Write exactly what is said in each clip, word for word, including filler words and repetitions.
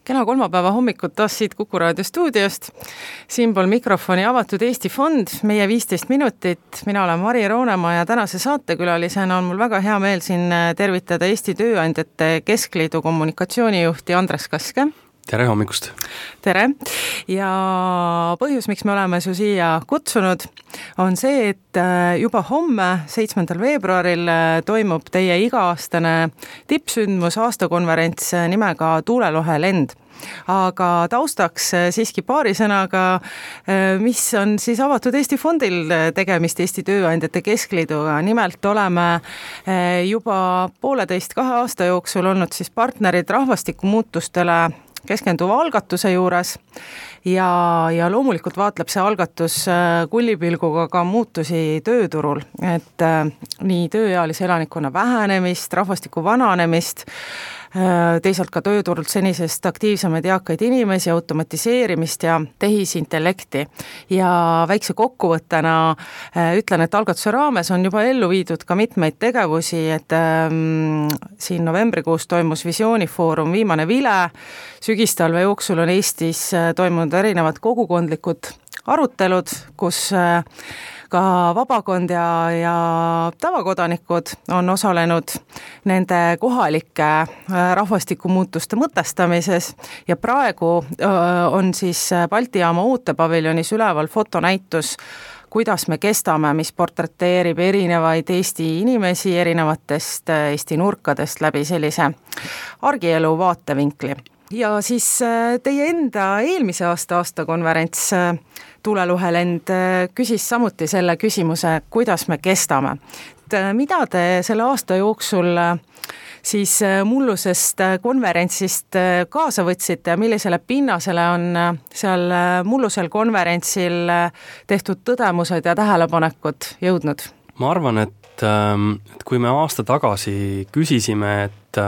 Kena kolmapäeva hommikut taas siit Kuku Raadio stuudiost. Siinpool mikrofoni avatud Eesti Fond, meie viisteist minutit. Mina olen Mari Roonemaa ja tänase saatekülalisena on mul väga hea meel siin tervitada Eesti Tööandjate Keskliidu kommunikatsioonijuhti Andres Kaske. Tere hommikust! Tere! Ja põhjus, miks me oleme su siia kutsunud, on see, et juba homme, seitsmendal veebruaril toimub teie iga-aastane tippsündmus aastakonverents nimega Tuulelohe lend. Aga taustaks siiski paari sõnaga, mis on siis avatud Eesti Fondil tegemist Eesti Tööandjate Keskliiduga. Nimelt oleme juba pooleteist kahe aasta jooksul olnud siis partnerid rahvastikumuutustele keskenduva algatuse juures ja, ja loomulikult vaatleb see algatus kullipilguga ka muutusi tööturul, et nii tööealise elanikkonna vähenemist, rahvastiku vananemist, teisalt ka tööturult senisest aktiivsemaid eakaid inimesi, automatiseerimist ja tehisintellekti. Ja väikse kokkuvõttena ütlen, et algatuse raames on juba ellu viidud ka mitmeid tegevusi, et ähm, siin novembrikuus toimus visioonifoorum Viimane vile, sügistalve jooksul on Eestis toimunud erinevad kogukondlikud arutelud, kus äh, ka vabakond ja, ja tavakodanikud on osalenud nende kohalike rahvastikumuutuste mõtestamises ja praegu on siis Balti jaama ootepaviljonis üleval fotonäitus, kuidas me kestame, mis portreteerib erinevaid Eesti inimesi erinevatest Eesti nurkadest läbi sellise argielu vaatevinkli. Ja siis teie enda eelmise aasta aastakonverents Tuulelohe lend küsis samuti selle küsimuse, kuidas me kestame. Mida te selle aasta jooksul siis mullusest konverentsist kaasa võtsite ja millisele pinnasele on seal mullusel konverentsil tehtud tõdemused ja tähelepanekud jõudnud? Ma arvan, et, et kui me aasta tagasi küsisime, et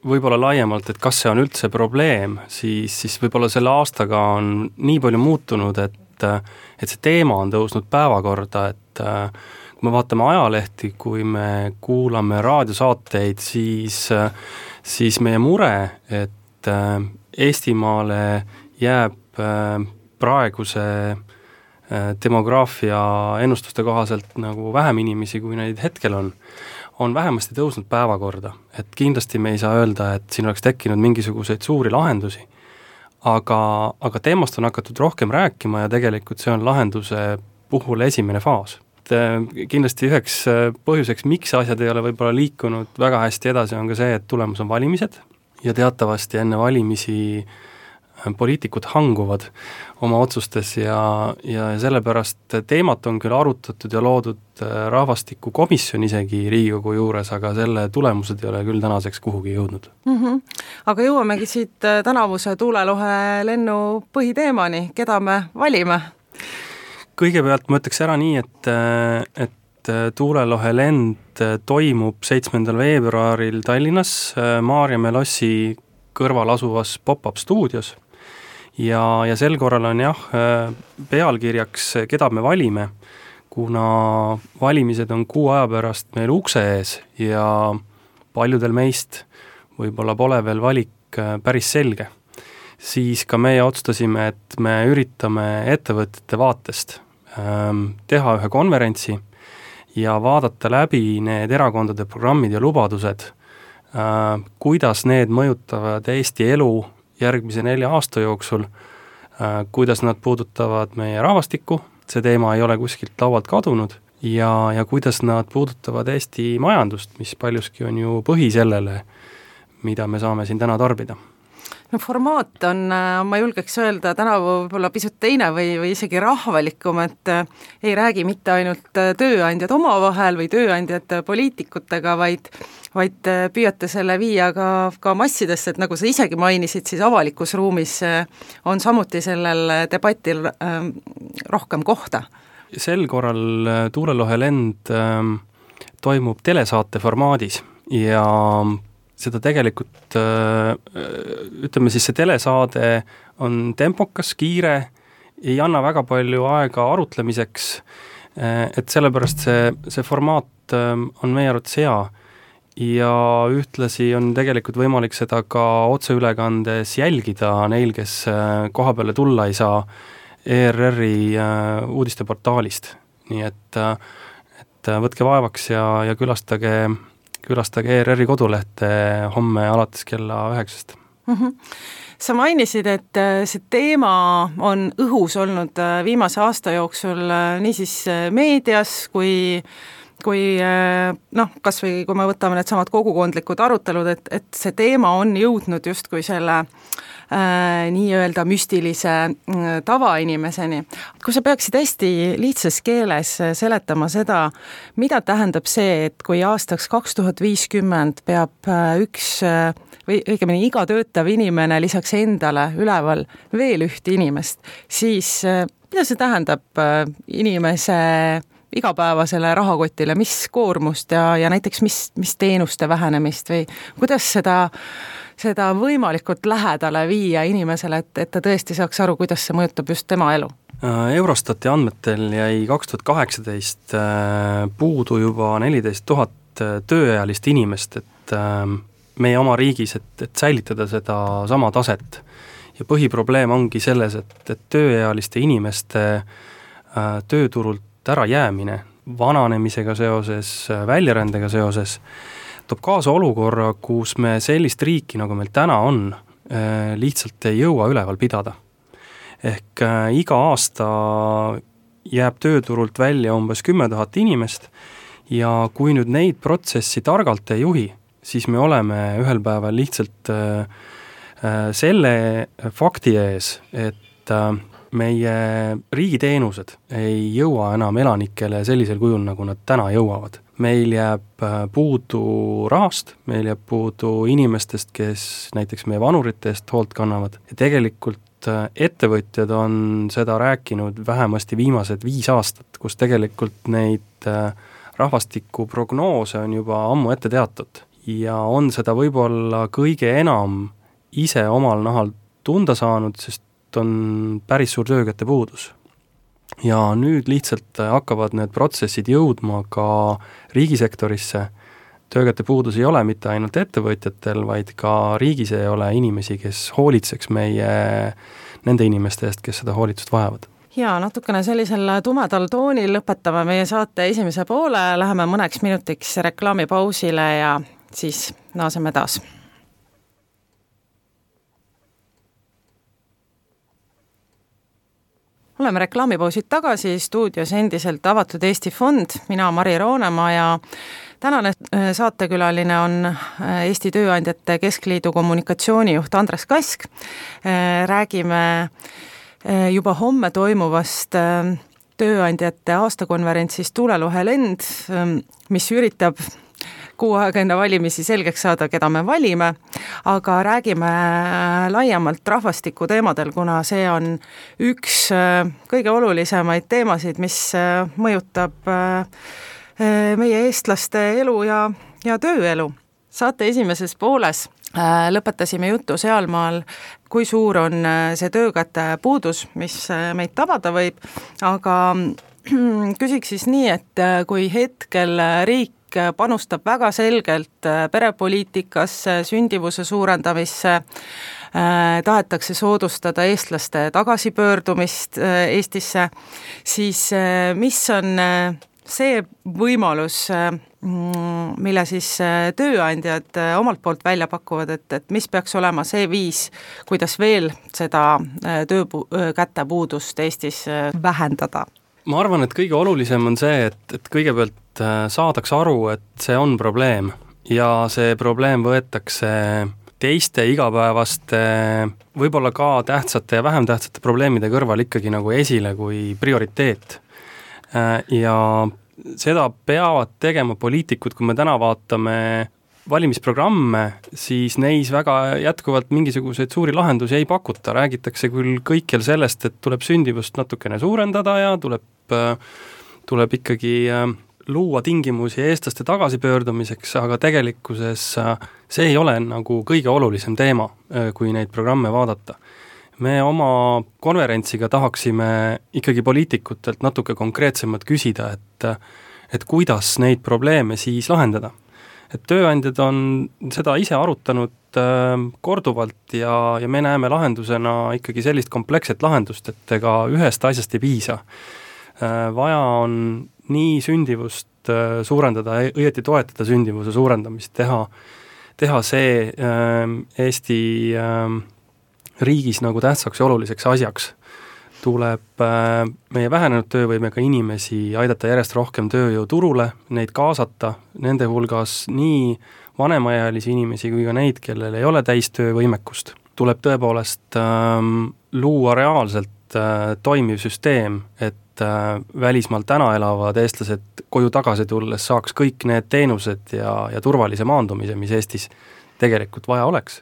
võib-olla laiemalt, et kas see on üldse probleem, siis, siis võib-olla selle aastaga on nii palju muutunud, et, et see teema on tõusnud päevakorda, et kui me vaatame ajalehti, kui me kuulame raadiosaateid, siis, siis meie mure, et Eestimaale jääb praeguse demograafia ennustuste kohaselt nagu vähem inimesi, kui neid hetkel on, on vähemasti tõusnud päevakorda. Et kindlasti me ei saa öelda, et siin oleks tekkinud mingisuguseid suuri lahendusi, aga, aga teemast on hakatud rohkem rääkima ja tegelikult see on lahenduse puhul esimene faas. Et kindlasti üheks põhjuseks, miks asjad ei ole võib-olla liikunud väga hästi edasi, on ka see, et tulemus on valimised ja teatavasti enne valimisi poliitikud hanguvad oma otsustes ja, ja sellepärast teemat on küll arutatud ja loodud rahvastikukomisjon isegi Riigikogu juures, aga selle tulemused ei ole küll tänaseks kuhugi jõudnud. Mm-hmm. Aga jõuamegi siit tänavuse Tuulelohe lennu põhiteemani, keda me valime? Kõigepealt ma ütleks ära nii, et, et Tuulelohe lend toimub seitsmendal veebruaril Tallinnas Maarjamäe lossi kõrval asuvas pop-up stuudios. Ja, ja sel korral on jah, pealkirjaks, keda me valime, kuna valimised on kuu aja pärast meil ukse ees ja paljudel meist võib-olla pole veel valik päris selge. Siis ka meie otsustasime, et me üritame ettevõtete vaatest teha ühe konverentsi ja vaadata läbi need erakondade programmid ja lubadused, kuidas need mõjutavad Eesti elu järgmise nelja aasta jooksul, kuidas nad puudutavad meie rahvastikku, see teema ei ole kuskilt laualt kadunud, ja, ja kuidas nad puudutavad Eesti majandust, mis paljuski on ju põhi sellele, mida me saame siin täna tarbida. No formaat on, ma julgeks öelda, tänavu võib-olla pisut teine või, või isegi rahvalikum, et ei räägi mitte ainult tööandjad omavahel või tööandjad poliitikutega, vaid, vaid püüate selle viia ka, ka massidesse, et nagu sa isegi mainisid, siis avalikus ruumis on samuti sellel debatil rohkem kohta. Sel korral Tuulelohe lend toimub telesaate formaadis ja seda tegelikult, ütleme siis see telesaade on tempokas, kiire, ei anna väga palju aega arutlemiseks, et sellepärast see, see formaat on meie arvates hea ja ühtlasi on tegelikult võimalik seda ka otseülekandes jälgida neil, kes koha peale tulla ei saa E R R-i uudisteportaalist. Nii et, et võtke vaevaks ja, ja külastage, külastage E R R-i kodulehte homme alates kella üheksast. Mm-hmm. Sa mainisid, et see teema on õhus olnud viimase aasta jooksul nii siis meedias kui kui noh, kas või kui me võtame need samad kogukondlikud arutelud, et, et see teema on jõudnud just kui selle äh, nii-öelda müstilise äh, tavainimeseni. Kui sa peaksid hästi lihtsas keeles seletama seda, mida tähendab see, et kui aastaks kaks tuhat viiskümmend peab äh, üks äh, või õigemini iga töötav inimene lisaks endale üleval veel ühte inimest, siis äh, mida see tähendab äh, inimese igapäevasele rahakotile, mis koormust ja, ja näiteks mis, mis teenuste vähenemist või kuidas seda, seda võimalikult lähedale viia inimesele, et, et ta tõesti saaks aru, kuidas see mõjutab just tema elu? Eurostati andmetel jäi kaks tuhat kaheksateist puudu juba neliteist tuhat tööealist inimest, et meie oma riigis, et, et säilitada seda sama taset. Ja põhiprobleem ongi selles, et, et tööealiste inimeste tööturult ära jäämine vananemisega seoses, väljarändega seoses toob kaasa olukorra, kus me sellist riiki, nagu meil täna on, lihtsalt ei jõua üleval pidada. Ehk iga aasta jääb tööturult välja umbes kümme tuhat inimest ja kui nüüd neid protsessi targalt ei juhi, siis me oleme ühel päeval lihtsalt selle fakti ees, et meie riigiteenused ei jõua enam elanikele sellisel kujul, nagu nad täna jõuavad. Meil jääb puudu rahast, meil jääb puudu inimestest, kes näiteks meie vanurite eest hoolt kannavad. Ja tegelikult ettevõtjad on seda rääkinud vähemasti viimased viis aastat, kus tegelikult neid rahvastikuprognoose on juba ammu ette teatud. Ja on seda võib-olla kõige enam ise omal nahal tunda saanud, sest on päris suur töökäte puudus. Ja nüüd lihtsalt hakkavad need protsessid jõudma ka riigisektorisse. Töökäte puudus ei ole mitte ainult ettevõtjatel, vaid ka riigis ei ole inimesi, kes hoolitseks meie nende inimeste eest, kes seda hoolitsust vajavad. Ja natukene sellisel tumedal toonil lõpetame meie saate esimese poole, läheme mõneks minutiks reklaamipausile ja siis naaseme taas. Oleme reklaamipausid tagasi, stuudios endiselt Avatud Eesti Fond, mina Mari Roonemaa ja tänane saatekülaline on Eesti Tööandjate Keskliidu kommunikatsioonijuht Andres Kask. Räägime juba homme toimuvast tööandjate aastakonverentsist Tulelohelend, mis üritab kuu aega enne valimisi selgeks saada, keda me valime, aga räägime laiemalt rahvastiku teemadel, kuna see on üks kõige olulisemaid teemasid, mis mõjutab meie eestlaste elu ja, ja tööelu. Saate esimeses pooles lõpetasime juttu sealmaal, kui suur on see töökäte puudus, mis meid tabada võib, aga küsiks siis nii, et kui hetkel riik panustab väga selgelt perepoliitikasse, sündivuse suurendamisse, tahetakse soodustada eestlaste tagasipöördumist Eestisse, siis mis on see võimalus, mille siis tööandjad omalt poolt välja pakuvad, et, et mis peaks olema see viis, kuidas veel seda töökäte puudust Eestis vähendada? Ma arvan, et kõige olulisem on see, et, et kõigepealt saadaks aru, et see on probleem ja see probleem võetakse teiste igapäevaste, võib-olla ka tähtsate ja vähem tähtsate probleemide kõrval ikkagi nagu esile kui prioriteet. Ja seda peavad tegema poliitikud, kui me täna vaatame valimisprogramme, siis neis väga jätkuvalt mingisuguseid suuri lahendusi ei pakuta. Räägitakse küll kõikjal sellest, et tuleb sündivust natukene suurendada ja tuleb, tuleb ikkagi luua tingimusi eestlaste tagasipöördumiseks, aga tegelikkuses see ei ole nagu kõige olulisem teema, kui neid programme vaadata. Me oma konverentsiga tahaksime ikkagi poliitikutelt natuke konkreetsemalt küsida, et, et kuidas neid probleeme siis lahendada. et tööandjad on seda ise arutanud korduvalt ja, ja me näeme lahendusena ikkagi sellist kompleksset lahendust, et ega ühest asjast ei piisa. Vaja on nii sündivust suurendada, õieti toetada sündivuse suurendamist, teha, teha see Eesti riigis nagu tähtsaks ja oluliseks asjaks. Tuleb meie vähenenud töövõimega inimesi aidata järjest rohkem tööjõuturule, neid kaasata, nende hulgas nii vanemaealisi inimesi kui ka neid, kellel ei ole täistöövõimekust. Tuleb tõepoolest ähm, luua reaalselt äh, toimiv süsteem, et äh, välismaal täna elavad eestlased koju tagasi tulles saaks kõik need teenused ja, ja turvalise maandumise, mis Eestis tegelikult vaja oleks.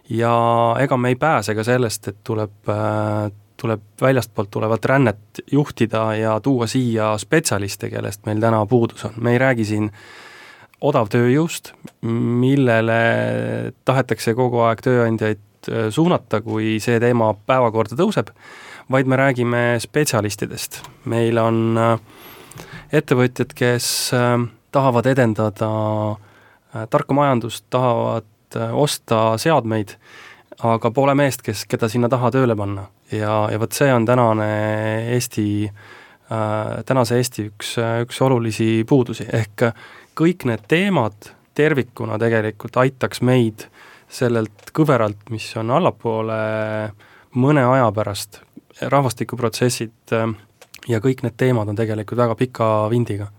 Ja ega me ei pääse ka sellest, et tuleb, äh, tuleb väljastpoolt tulevat rännet juhtida ja tuua siia spetsialiste, kellest meil täna puudus on. Me ei räägi siin odav tööjõust, millele tahetakse kogu aeg tööandjaid suunata, kui see teema päevakorda tõuseb, vaid me räägime spetsialistidest. Meil on ettevõtjad, kes tahavad edendada tarka majandust, tahavad osta seadmeid, aga pole meest, kes, keda sinna taha tööle panna. Ja, ja võt see on tänane Eesti, tänase Eesti üks, üks olulisi puudusi, ehk kõik need teemad tervikuna tegelikult aitaks meid sellelt kõveralt, mis on allapoole mõne aja pärast, rahvastikuprotsessid ja kõik need teemad on tegelikult väga pika vindiga.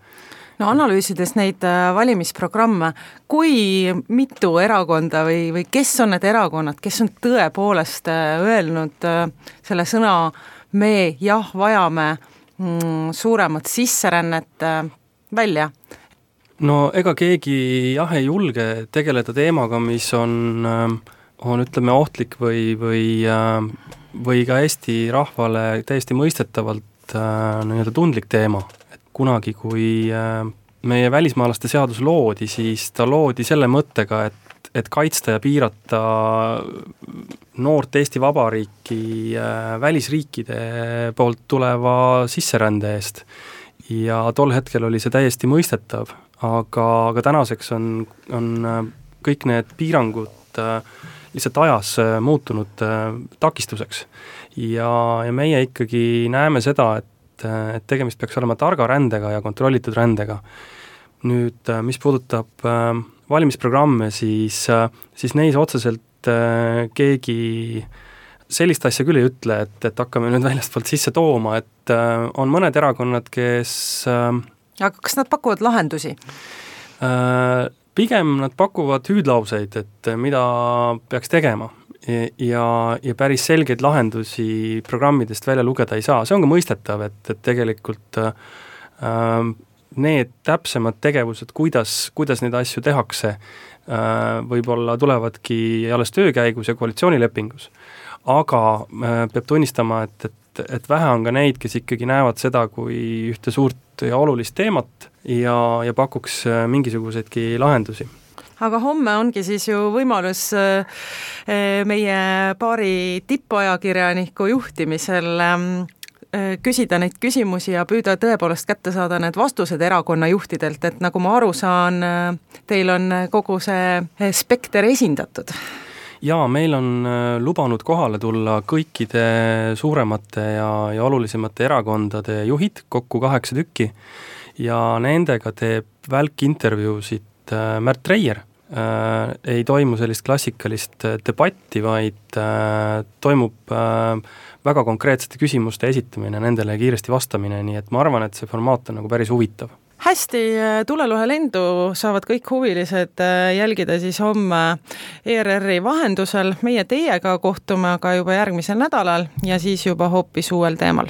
No analüüsides neid valimisprogramme, kui mitu erakonda või, või kes on need erakonnad, kes on tõepoolest öelnud selle sõna me jah, vajame mm, suuremat sisserännet välja? No ega keegi jah ei julge tegeleda teemaga, mis on, on ütleme ohtlik või, või, või ka Eesti rahvale täiesti mõistetavalt nii-öelda tundlik teema. Et kunagi, kui meie välismaalaste seadus loodi, siis ta loodi selle mõttega, et, et kaitsta ja piirata noort Eesti Vabariiki välisriikide poolt tuleva sisserände eest. Ja tol hetkel oli see täiesti mõistetav. Aga, aga tänaseks on, on kõik need piirangud lihtsalt ajas muutunud takistuseks. Ja, ja meie ikkagi näeme seda, et, et tegemist peaks olema targa rändega ja kontrollitud rändega. Nüüd, mis puudutab valimisprogramme, siis, siis neis otseselt keegi sellist asja küll ei ütle, et, et hakkame nüüd väljastpoolt sisse tooma, et on mõned erakonnad, kes aga kas nad pakuvad lahendusi? Pigem nad pakuvad hüüdlauseid, et mida peaks tegema ja, ja päris selgeid lahendusi programmidest välja lugeda ei saa. See on ka mõistetav, et, et tegelikult äh, need täpsemad tegevused, kuidas, kuidas neid asju tehakse, äh, võib-olla tulevadki alles töökäigus ja koalitsioonilepingus. Aga äh, peab tunnistama, et, et et vähe on ka neid, kes ikkagi näevad seda kui ühte suurt ja olulist teemat ja, ja pakuks mingisuguseidki lahendusi. Aga homme ongi siis ju võimalus meie paari tippajakirjaniku juhtimisel küsida neid küsimusi ja püüda tõepoolest kätte saada need vastused erakonna juhtidelt, et nagu ma aru saan, teil on kogu see spekter esindatud. Jaa, meil on lubanud kohale tulla kõikide suuremate ja, ja olulisemate erakondade juhid, kokku kaheksa tükki, ja nendega teeb välkintervjuusid Märt Reier. Äh, ei toimu sellist klassikalist debatti, vaid äh, toimub äh, väga konkreetsete küsimuste esitamine, nendele kiiresti vastamine, nii et ma arvan, et see formaat on nagu päris huvitav. Hästi, tulelohe lendu saavad kõik huvilised jälgida siis homme E R R-i vahendusel. Meie teiega kohtume aga juba järgmisel nädalal ja siis juba hoopis uuel teemal.